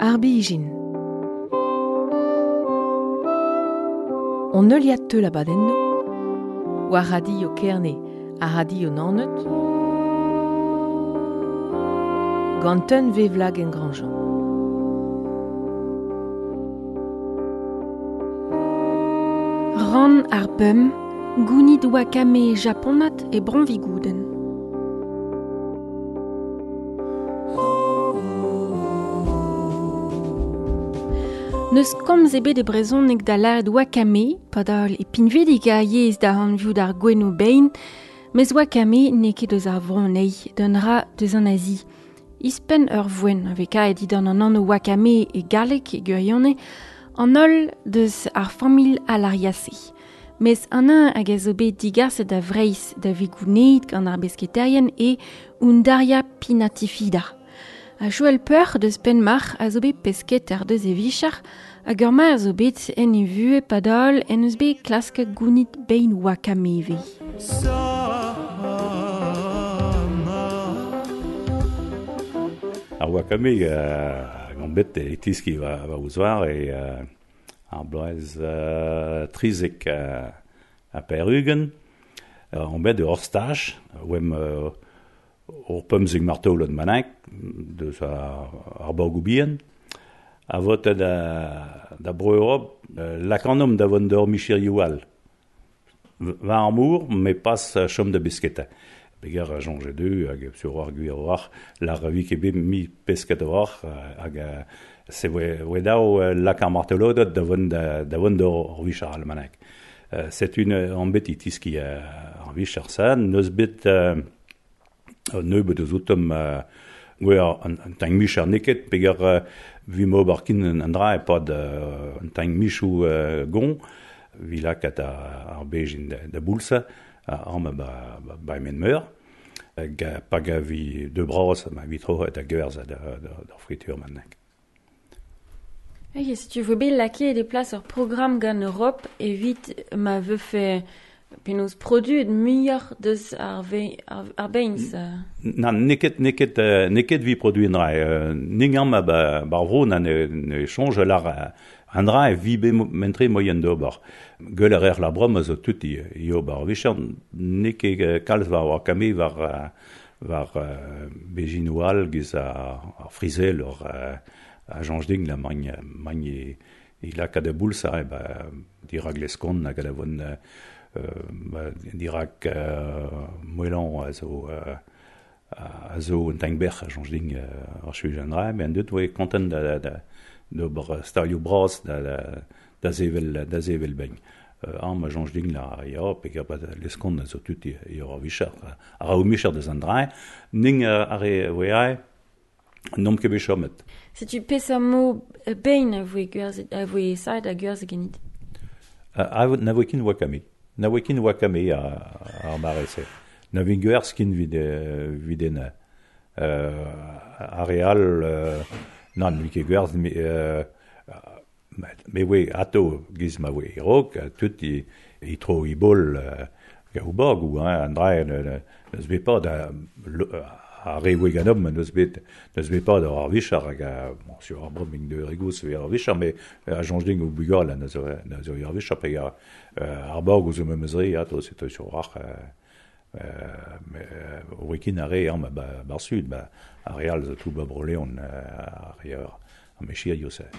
Ar bijin. On heuliad teul abadennoù, war radio Kerne ha radio Naoned, gant un vevlag en Grandjean. Rann ar bum, gounid wakame japonat e bronvigouden. N'eus komz ebet e brezhoneg da lâret wakame, padal e pinvidik a yezh da anviout ar gouennoù bein, mes wakame n'eo ket eus ar vro anezhi, d'un ra deus an Azi. Ouzhpenn ur voenn a vez kaet dindan an anv wakame e galleg e gwirionez, an holl deus ar familh Alariaceae. Mes an eñ hag a zo bet digaset da Vreizh da vez gounezet gant ar besketaerien eo Undaria pinnatifida. Ha Joël Peur deus Penmarc'h a zo bet pesketer deus e vicher hag ur maer zo bet en e vuhez padal en deus bet klasket gounit bein wakame ivez. Ar wakame gant bet e tiski war o zouar e ar bloaz 73. On bet ur staj, oemp ur pemzek martolod bennak deus ar borgoù bihan a vote da Bro-Europ lakanomp da vont d'ur micherioù all. War ar mor, met pas chom da besketa. Peger a soñje deu hag sur ar gwir a-walc'h, lar vi ket bet mi pesket a-walc'h hag se voe dav lak ar martoloded da vont da vont d'ur vicher all bennak. Setu an bet e tiski ar vicher-se. N'eus bet nebeut eus outomp gwez an tamm micher n'eo ket peger 'vimp ober kin an dra e-pad un tamm michoù goñ evit lakaat ar bezhin da boulzañ amañ ba Emen-Meur. Hag pa gavi deu bras ma vi troc'het da gwerzhañ d'ar fritur bennak. Ok, setu 'vo bet lakaet e plas ur programm gant Europ evit ma vefe penaos produet muioc'h deus ar ar beins. Nann, n'eo ket n'eo ket n'eo ket evit produiñ an dra. Ning amañ ba ar vro na ne soñj lar an dra e vi bet mentre moaien d'ober. Gwell a reer la brom a zo tout i ober ar vicher. N'eo ket kalz war wakame war war bezhinoù all giz ar frisel ur a soñj din la magn magn e laka da boulzañ ba dirak Leskon hag da vont dirak Moelan a zo a zo un tamm bec'h a soñj din ar suj an dra met an dud 'voe kontant da da d'ober stalioù bras da da sevel da sevel bein. Amañ a soñj din la ya peger Leskon a zo tud e ur vicher a ra o micher deus an dra ning ar re 'voe aet N'omp ket bet chomet. Setu peseurt mod bein a voe gwerzhet, a voe savet ha gwerzhet ganit? Na voe ket wakame. Na voe ket wakame ar mare-se. Na vin gwerzh ken evit evit en ar re all nann, ne vin ket gwerzh me voe atav giz ma voe e-raok tout e tro e bol gaou-bagoù hein, an dra n'eus bet pas da ar re voe ganeomp n'eus bet n'eus bet pas d'ar vicher hag bon sur ar bremañ de Rigouz eo ar vicher met a soñj din o bugale na zo na zo ar vicher pe ar borg zo memes re atav setu sur ar o kin ar re amañ ba ar sud ba ar re all zo tout ba Bro-Leon ar re ar mechirioù-se.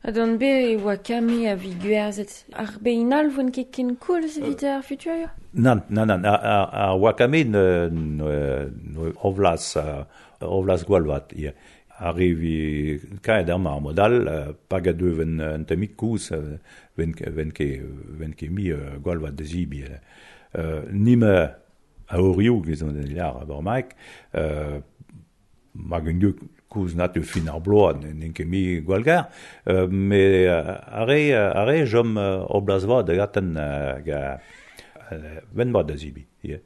Ha gant bet e oa kame a vi gwerzhet. Ar bein all 'voent ket ken koulz evit ar futur? Nann, nann, nann. Ar wakame ne ovlas ovlas gwall vat ivez. Ar re vi kaet amañ ar mod all, pa ga deu un tammig koulz, 'vent ket mui gwall vat da zebriñ. Nime a orioù giz an lâr bremaik, Mag un dud koulz na teu fin ar bloaz n'int ket mui gwallgar, met ar re ar re chom o bloaz vat da gaten hag vent mat da zebriñ ivez.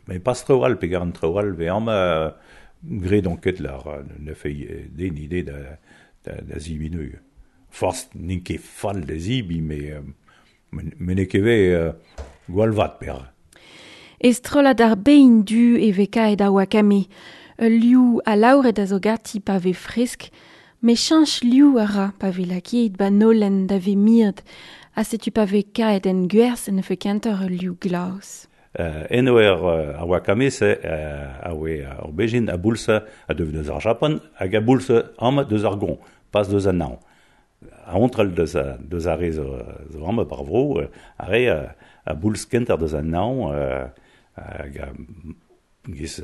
Met pas traoù all peogwir an traoù all 'vez amañ graet on ket lar ne fell den ivez da zebriñ neuze. Forzh n'int ket fall da zebriñ met met n'eo ket ivez gwall vat perak. E strollad ar bein du e vez kaet ar wakame. Ul liv alaouret a zo ganti pa vez fresk. Me chanch liou a ra pa ve lakeet ba nolen da ve mirt, a setu pa ve kaet en gwerz en fe kenter ul liou glas. Eno ar wakame se a oe ar bejin a boulsa a dev deus ar Japan hag a boulsa am deus ar gon, pas deus an naon. A ontrel deus ar re zo am bar vro, a re a bouls kenter deus an naon hag a giz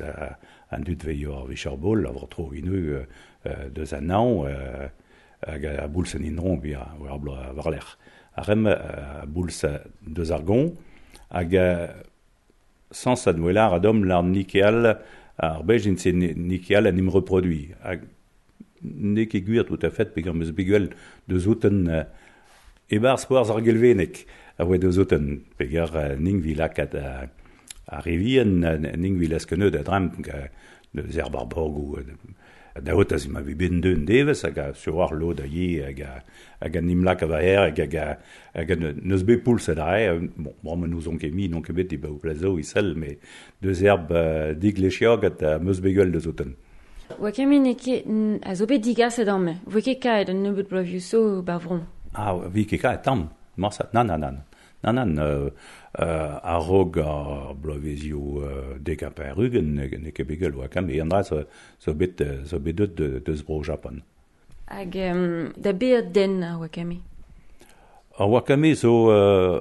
an dud veio ar vicharbol a vro tro inu deus an naon hag a bouls an indron bi a war bloaz war lec'h. A rem a bouls deus ar gon hag sans ad welar a dom lar nikeal ar bejin se nikeal an im reproduit. Hag ne ket gwir tout à fait peogwir meus bet deus outen ebar spoarz ar gelvenek a oe deus outen peogwir ning vi lakaat a rivien ning vi laskeneud a dram deus er barborgou da ot az ma vi ben deun devez hag a sur ar lod a ye hag an imlak a va her hag a neus bet pouls a dre bon bremañ n'ouzon ket mi n'on ket bet e ba o plazo isel mais deus erb diglechiog at meus bet gwell deus outen. Wakame ne ket a zo bet digaset amme. Voe ket kaet an nebeut bloavioù so ba vron. Ah, vi ket kaet tamm. Marsat, nan, nan, nan. Nan, nan, a-raok ar bloavezioù dek ha pevar-ugent ne ket bet gwell wakame. An dra zo bet deut deus bro Japan. Hag da beet den ar wakame? Ar wakame zo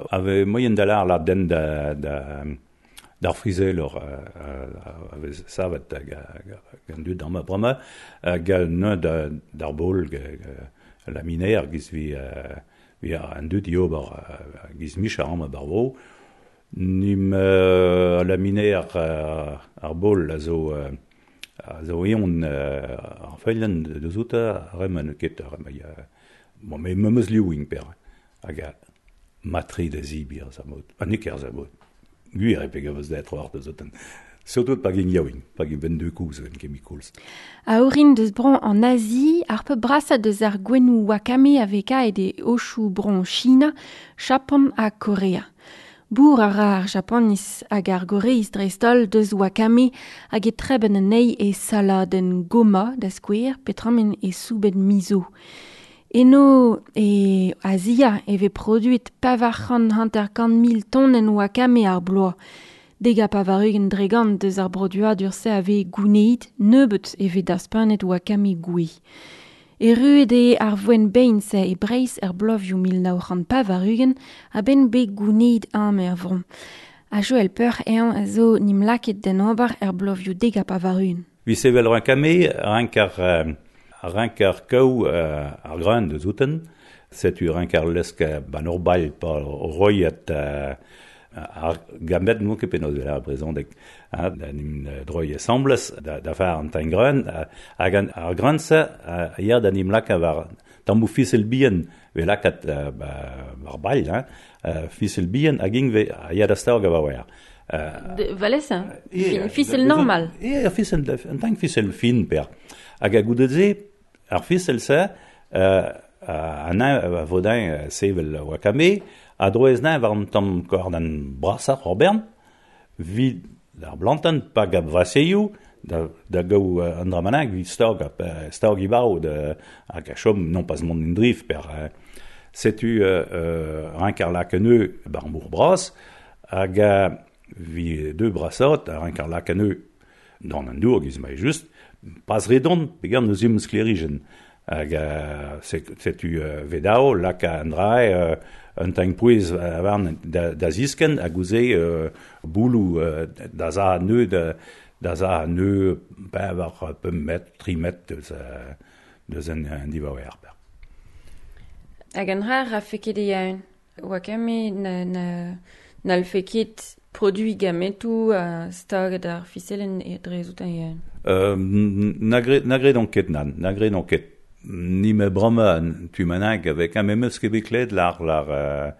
ave moyen da lar la den d'ar frizel a vez savet hag an dud ar ma bremañ hag neun d'ar bol la miner giz vi an dud iober giz mich ar ma barvo. Nim la miner ar bol a zo eon ar feilen deus outa rem an ket ar rem bon me meus liouing per hag a matri da zibir sa mod an eker sa mod gwir e peg eus da war deus outen. Surtout pa gin yaouing, pa gin 22 kouz en chemicals. A orin deus bron en Asie, ar peu brasa deus ar gwennou wakame aveka e de oshu bron China, Japon ha Korea. Bour ar ar Japanis hag ar Goreiz dreistol deus wakame hag e treben anezhi e saladenn goma da skouer petramen e soubenn miso. Eno e Azia e vez produit pavar-c'hant hanter-kant mil tonenn wakame ar bloaz. Dega pavar-ugent dregant deus ar broduadur se a vez gouneit nebeut e vez daspanet wakame gouez. Erruet eo ar voen bein se e Breizh er bloavioù 1980 a ben bet gouneit am er vron. A Joël Peur eñ a zo nim laket den ober er bloavioù dega pavar-ugent. Vi sevel wakame rank ar kaou ar greun deus outen, setu rank ar lesk ban ur bail pa roiet ar gamet n'on ket penaos vel ar brezhoneg da nim droi assembles da far an tañ greun hag ar greun se a ya da nim laka war tammou fisel bihan ve lakat war bail fisel bihan hag ing ve a ya da staog a war. Valais, fisel normal. E fisel, an tañ fisel fin per. Hag a goude se, ar fisel se, an a vodain sevel wakame, a droez nain war an tamm kordan brasar ar bern, vid ar blanten pa gab vaseioù, da gaou an dramanak, vid stag ibao hag a chom non pas mont indrif per setu rank ar lakeneu bar mour bras, hag a vi deux brasot, rank ar lakeneu dans an dour giz mai just, pas redon, peogwir neus im sklerijen. Hag setu vedao, laka an drae, un tañ pouez warn da zisken hag ouze boulou da za neu da za neu pevar pemp metr, tri metr deus an divaouer. Hag an rar a fe ket e yaun. Wakame n'al fe ket produit gametou a staget ar fiselen e drezout an yaun. Na gredon ket nan, na gredon ket. Ni me brama tu manag avec un memeus ket bet kled lar a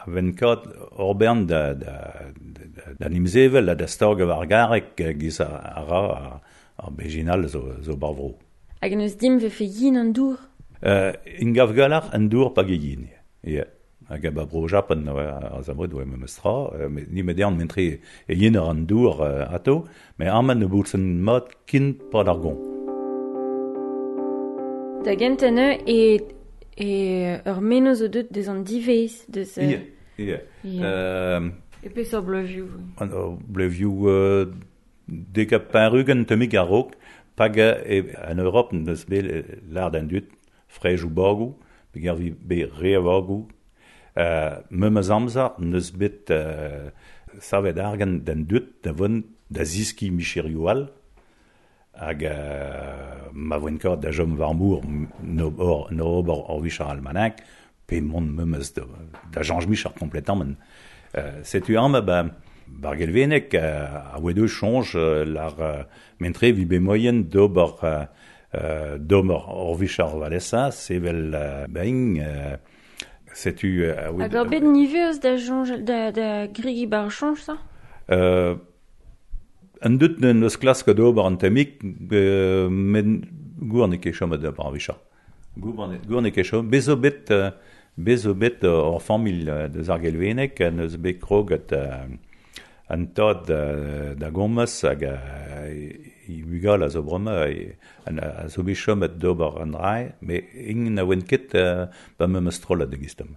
venkat orbern da nimzevel da stag war garek giz a ra ar bejinal zo barvro. Hag neus dim vefe yin an dour? In gav galar an dour pa yin. Yeah. Hag a ba bro Japan a zamod oa memes tra, ni me dean mentre e yin ar an dour ato, me arman ne boulsen mat kin pa d'ar gon. Da gentañ e ur menoz o deut deus an divez deus... Ie, ie. E peseurt bleuvioù? Bleuvioù dek ha pevar-ugent tammig a-raok, pag en Europ neus bet lâret an dud frejoù bagoù, peogwir vi bet re a vagoù. Memes amzer neus bet savet argant d'an dud da vont da ziskiñ micherioù all, hag ma voent kaout da chom war mor no ober ur vicher almanak, pe mont memes da chañj micher kompletamant. Setu amañ ba bar Gelveneg a oa deus soñj lar mentre vi bet moaien d'ober d'ober ur vicher valesa, sevel bain, setu... Hag ur bet niveus da soñj da gregi bar soñj, ça? An dud neus klask d'ober an tammig, met gour n'eo ket chomet d'ober ar vicher. Gour n'eo ket chomet. Bez zo bet ur familh deus ar Gelveneg, neus bet kroget an tad da gomz hag i bugal a zo bremañ a zo bet chomet d'ober an drae, met int na oant ket ba memes strollad da gistam.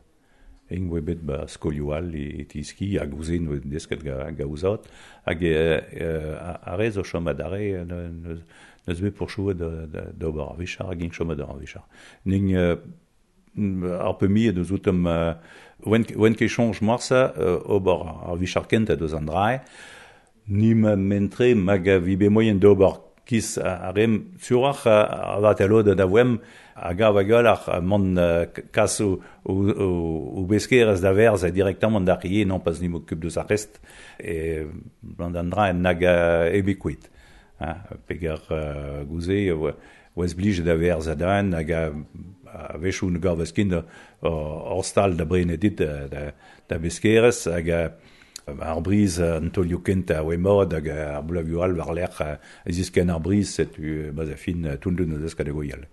Int oa bet ba skolioù all e tiski hag ouzhin oa desket ga ouzat hag ar re zo chomet ar re neus bet pourchouet d'ober ar vicher hag int chomet ar vicher. Ning ar peu miet eus outem oant ket soñj morse ober ar vicher kentañ deus an drae, ni ma mentre mag vi bet moaien d'ober kis ar rem suroc'h a vat a lod da voem a gav a gael ar mont kas o beskerez da verz direktamant d'ar rie, non pas ni m'occupe deus ar rest e blant an drae nag e bet peger gouze oa blij da verz a dan hag a wechoù ne gav ket ur stal da brenet dit da beskerez hag ar briz an taolioù kentañ a oa mat hag ar bloavioù all war-lerc'h a ziskenn ar briz setu ba'z a fin toundun eus kategoial.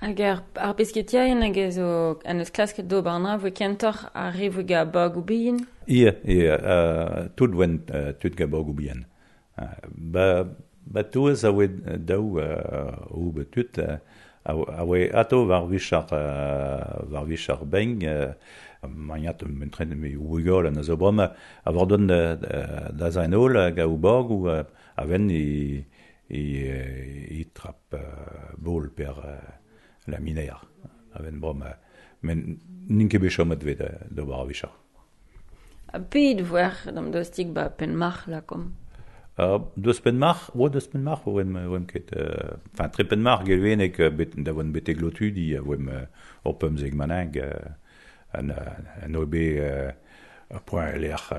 Hag ar pesketiaien hag a zo an eus klasket d'ober an dra voe kentoc'h ar re voe ga bagoù bihan? Ie, tout voent tud ga bagoù bihan. Ba touez a oa daou o bet tud a oa ato war vicher beng magnat mentren me ougol an zo bremañ a war don da zain holl hag a bagoù a ven i trap bol per la miner a ven bremañ men n'int ket bet chomet vet d'ober ar vicher. A ped voer d'am dostig ba Penmarc'h lakom? Deus Penmarc'h, oa deus Penmarc'h oem ket, enfin tre Penmarc'h Gelveneg da voen betek lotudi a oem ur pemzek manag an oa bet ur poent lec'h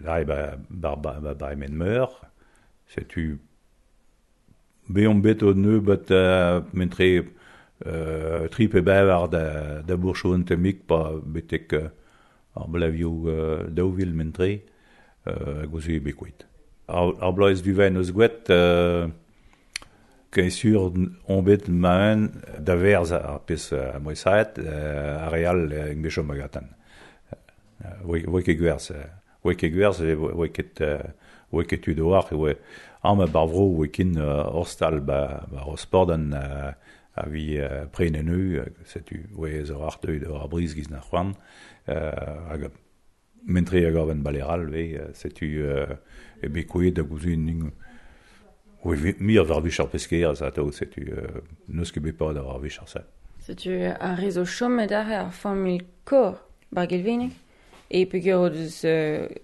lai ba emen meur, setu beomp bet o nebeut mentre tri pe bevar da bourchou an tammig pa betek ar blavioù daou vil mentre hag ouzh bet kuit. Ar bloaz duvaen eus gwet, ken sur on bet maen da verz ar pezh a moesaet, ar re all eng bet chom agatan. Oa ket gwerz, oa ket tud oar, oa am bar vro oa kin ur stal ba Rosporden a vi prenen eu, setu oa zo ar deuet ar briz giz na c'hoant, hag mentre a gaven baleral ve, setu e bet kouet da gouzun ning oa mir war vicher peskerez atao, setu n'eus ket bet pad ar vicher se. Setu ar re zo chomet ar familh kor bar Gelveneg e peogwir o deus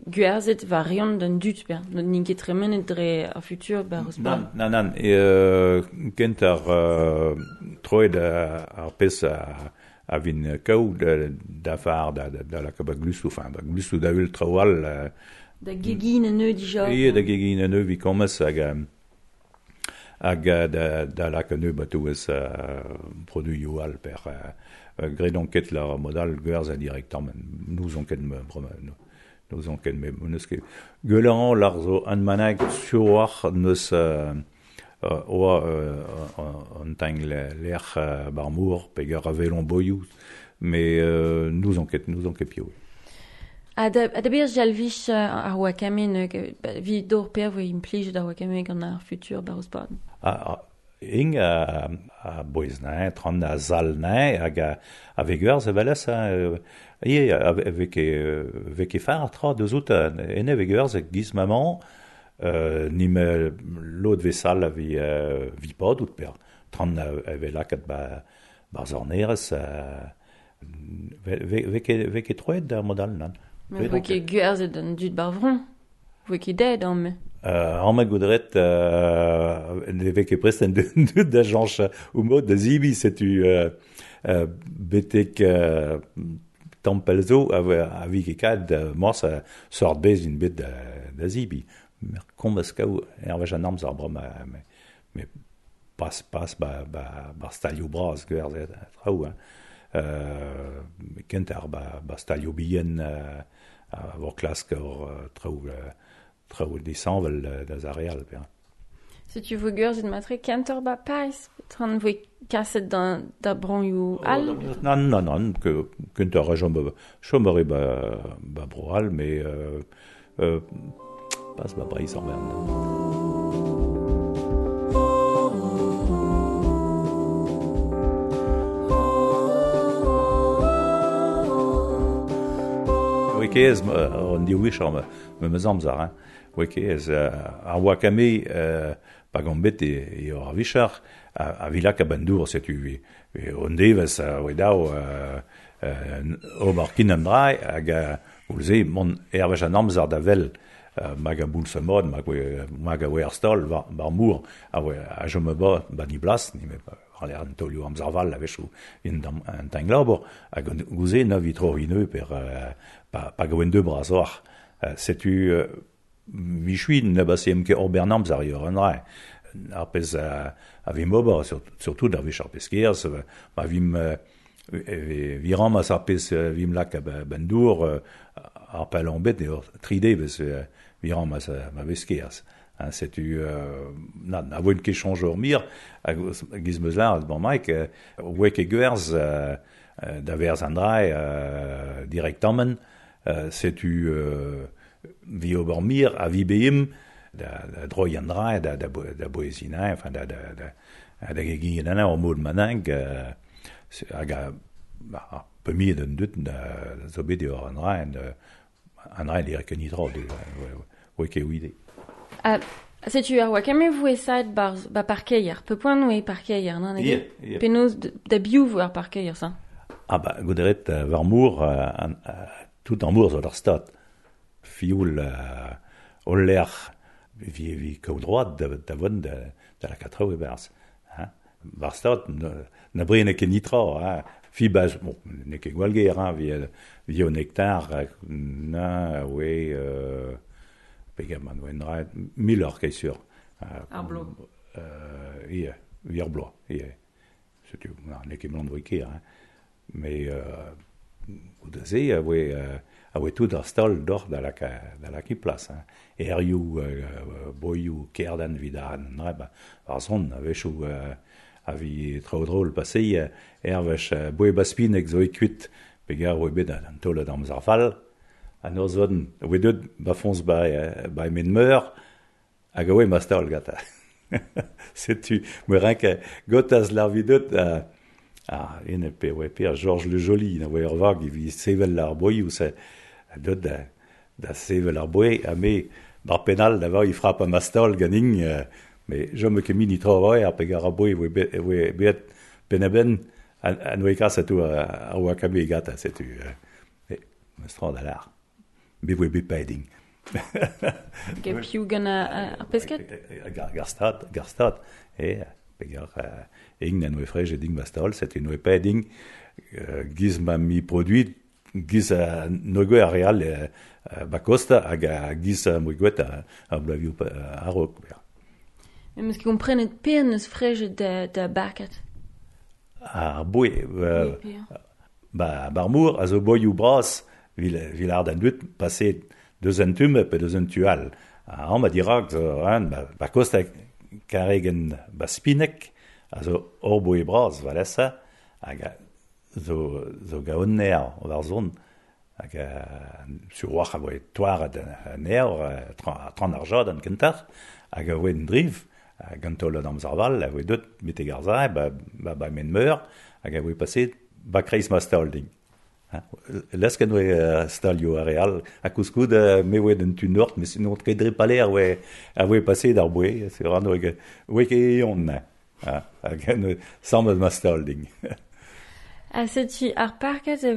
gwerzhet war riont d'an dud per, n'int ket tremenet dre ar futur bar Rosporden. Nan, kent ar troet ar pezh a vin kaout da far da la ba glustou, enfin ba glustou da ul traoù all. Da gegin an eu dija. Ie, da gegin an eu vi komez hag da lak an eu ba touez produioù all per graet on ket la modal gwerz a direktamant. Nous on ket me nous on ket me neus ket gwelañ lar zo an manag suroc'h neus oa an tang lec'h bar mor peger a velon boioù, mais nous on ket piv. A da bir jalvich ar wakame vi d'or per voe implij ar wakame gant ar futur bar Rosporden. Ing a bouez nain, tran a zal nain, hag a veguerz eveles, ie, avec e far tra deus out ene veguerz giz maman, nim lod vesal a vi pod out per, tran a ve lakat ba zornerez, ve ket troet da modal nan. Mais voe ket gwerzet an dud bar vron. Voe ket dead an me. An ma goudret, ne ve ket prest an dud da janch ou mod da zibi, setu betek tampelzo a vi ket kad mors a sort bez in bet da zibi. Mer kombaz kaou ervech an amzer bra me pas ba stalio braz gwerzet traoù, hein. Kent ar ba stalio bihan a vor klask ur traoù disanvel da zareal. Setu vo gwerzet matre kent ur ba Paris, tran voe kaset da bronioù all? Nan, kent ur a chom a re ba bro all, me pas ba Breizh an bern. Oe kez, an diouich ar me amzer, hein. Oe kez, ar wakame, pa gant bet e ur avichar, a vilak a bendour, setu, on devez, oe dao, ober kin an drai, hag oulze, mon ervech an amzer da vel, mag a boulz a mod, mag a oe ar stol, bar mour, a jom ba, ba ni blas, ni me an taolioù amzer val a wechou in an tanglabor, hag gouze na vi tro ineu per pa gaouen deux bras oar. Setu michui na basse em ket ober amzer ur an dra. Ar pez a vim ober, surtout ar wech ar pez kerz, ma vim viram a ar pez vim lak a bendour, ar pel an bet eo 3D vez viram a ma vez kerz. Setu na voen ket chanj ur mir, hag giz meus lar, bon maik, oe ket gwerz da verz an dra direktamen, setu vi ober mir a vi beim da droi an dra, da boezina, enfin da gegin an ur mod manang, hag a pe mi d'un dut da zo bet eo an dra, an dra direk ket nitra, oe ket ouide. Setu ar wakame voe saet ba parkeier, pe poan oe parkeier, nan ege? Penaos da biou vo ar parkeier, sa? Ah ba, gouderet war mour, tout an mour zo d'ar stad. Fioul ol lec'h vi kaout droad da vont da la katraoù e berz. War stad, na brene ket nitra, hein. Fi baz, bon, ne ket gwall ger, hein, vi o nektar, na oe... Pegaman oen ra, mil ur ket sur. Ar blo. Ie, vi ar blo, ie. Setu, ne ket blant voe ker, hein. Mais, goude se, a oe tout ar stol d'or da la ki plas, hein. Erioù, boioù, kerdan vid an dra, ba, ar zon, a wechou, a vi traoù drôle passé, ervech boe baspinek zo e kuit, pegar oe bet an taol d'amzer fall, an ur zon, oe deut ba foñs ba men meur, hag oe ma staol gata. Setu, me renk gotaz lar vi deut, ene pe oe per Georges Le Joli, na oe ur vag, vi sevel ar boioù, se deut da sevel ar boe, ha me bar penal da va i frap a ma staol ganin, me jom ket mini tra oe, ar pegar ar boe oe bet pen a ben, an oe kas atou a oa kame gata, setu, me stra da lar. Be voe bet paeding. Get piou gant ar pesket? Gar stad, e, pegar ing an oe frej ding ma staol, setu noe paeding, giz ma mi produit, giz a noe ar real ba kosta hag a giz a moe gwet a blavioù a-raok. Mais meus ket komprenet per neus frej da barkat? Ar boe, ba bar mour a zo boioù bras vil ar d'an dut paset deus an tume pe deus an tual. An ma dirak zo an ba kosta karegen ba spinek a zo ur boe bras valesa hag zo gaon ner war zon hag sur oac'h a voe toaret an ner tran ar jad an kentar hag a voe en driv Gant taol an amzer val, a voe deut betek ar zae, ba men meur, hag a voe paset ba kreiz ma staol ding. Lesken oe stalio ar real, a kouskoud me oe d'un tu nord, mais sinon ket dre paler oe a voe paset d'ar boe, c'est ran oe ket eon na. Hag en sammet ma staol ding. A setu ar parkad a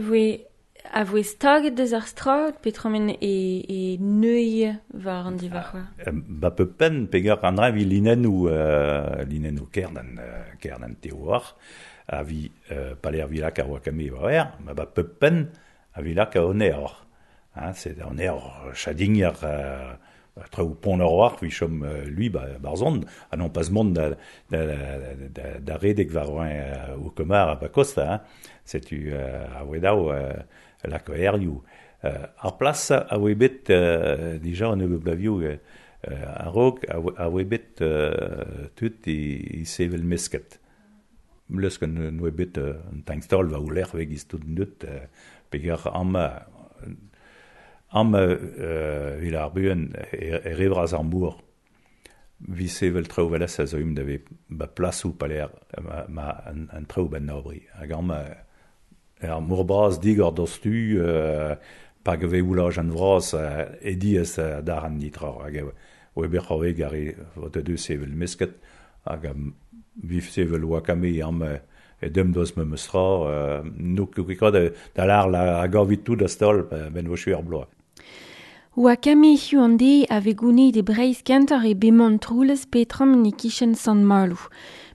voe staget deus ar strad, petromen e neuil war an divar. Ba pe pen pegar an dra vi linennou kernan teoar, a vi paler vilak ar wakame war er, ma ba pe pen a vilak a oner. Hein, c'est an er chadigner traoù pont ar war, vi chom lui ba barzon, a non pas mont da redek war oa o komar a ba kosta, hein. Setu a oe dao lak erioù. Ar plas a oe bet dija an nebeut blavioù a-raok a oe bet tut i sevel mesket. Lesk an oe bet un tankstol va ouler veg iz tout neut peger am vil ar buen e revraz ar mour. Vi sevel traoù velas a zo um da ve ba plasou paler ma an traoù ben nabri. Hag am ar mour bras digor dostu pa gave oulaj an vras e diez dar an nitra. Hag oe ber c'hoarveg ar e vot a deus sevel mesket hag vif sevel wakame am e dem doz me meustra no ket da lar la a gavit tout da stol ben vo ar bloaz. Wakame hiu an de a ve gounid e breiz kentor e bemont troulez petram e kichen Sant Malo.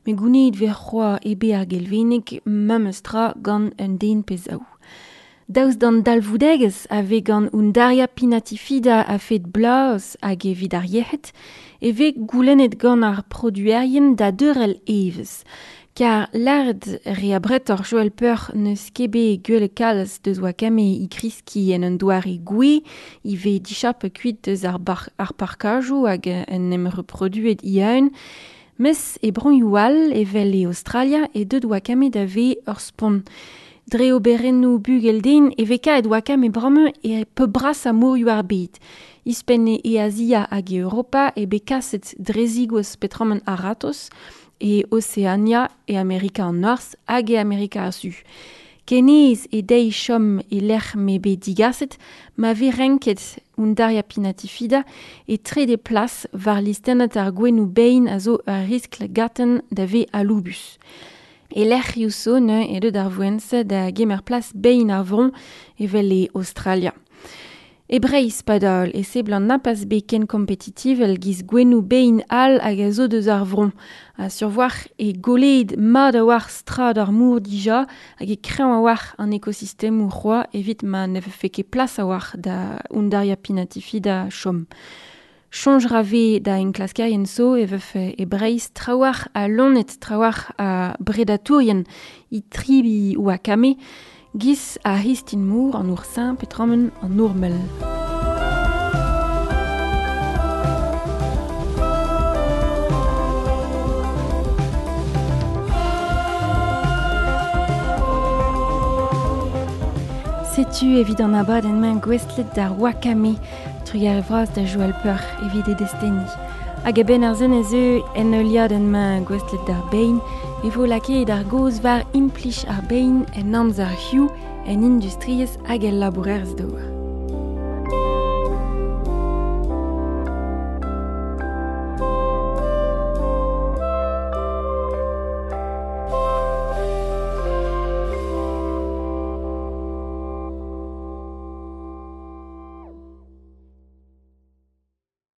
Me gounid ve c'hoa e be ar gelvenek meustra gant un den pez aou. Daouz d'an dalvoudegez a ve gant undaria pinatifida a fet blaz hag evit ar yec'hed, e ve goulennet gant ar produerien da deurel evez. Kar lard re a bretor Joël Peur neus kebe gwell kalz deus wakame i kriski en un doare gwe, i ve dichap kuit deus ar, ar parkajou hag en em reproduet iaun, mes e bronioù all evel e Australia e deud wakame da ve ur spont. Dre oberennoù bugel den e ve kaet wakame bramme e pe bras a mourioù ar bed. Ispen e Asia hag e Europa e be kaset drezigos petramen aratos, e Oceania e Amerika an Norzh hag e Amerika ar Su. Kenez e deiz chom e lec'h me bet digaset, ma ve renket undaria pinatifida e trede plas war listennat ar gwennoù bein a zo ur riskl gaten da ve aloubus. E lec'h ioù ne e deut ar voense da gemer plas bein ar vron evel e Australia. E Breiz padal e seblant napaz be ken kompetitivel giz gwennoù bein all hag a zo deus ar vron. A survoar e goled mad a war strad ar mour dija hag e kreñv a war an ekosistem c'hoa evit ma ne vefe ket plas a war da undaria pinatifida chom. Chonj rave da enklaskerien so e vefe e Breiz trawar a lonet trawar a bredatourien i tribi ou a kame, giz a histin mour an oursin petramen an ourmel. Setu evit an abad en main gwestlet d'ar wakame, trugar vras da Joël Peur evit e desteni. Hag a ben ar zen ez eu en euliad en main gwestlet d'ar bein, e vo lakaet ar goz war implich ar bein en amzer hiu en industriez hag el labourerz d'our.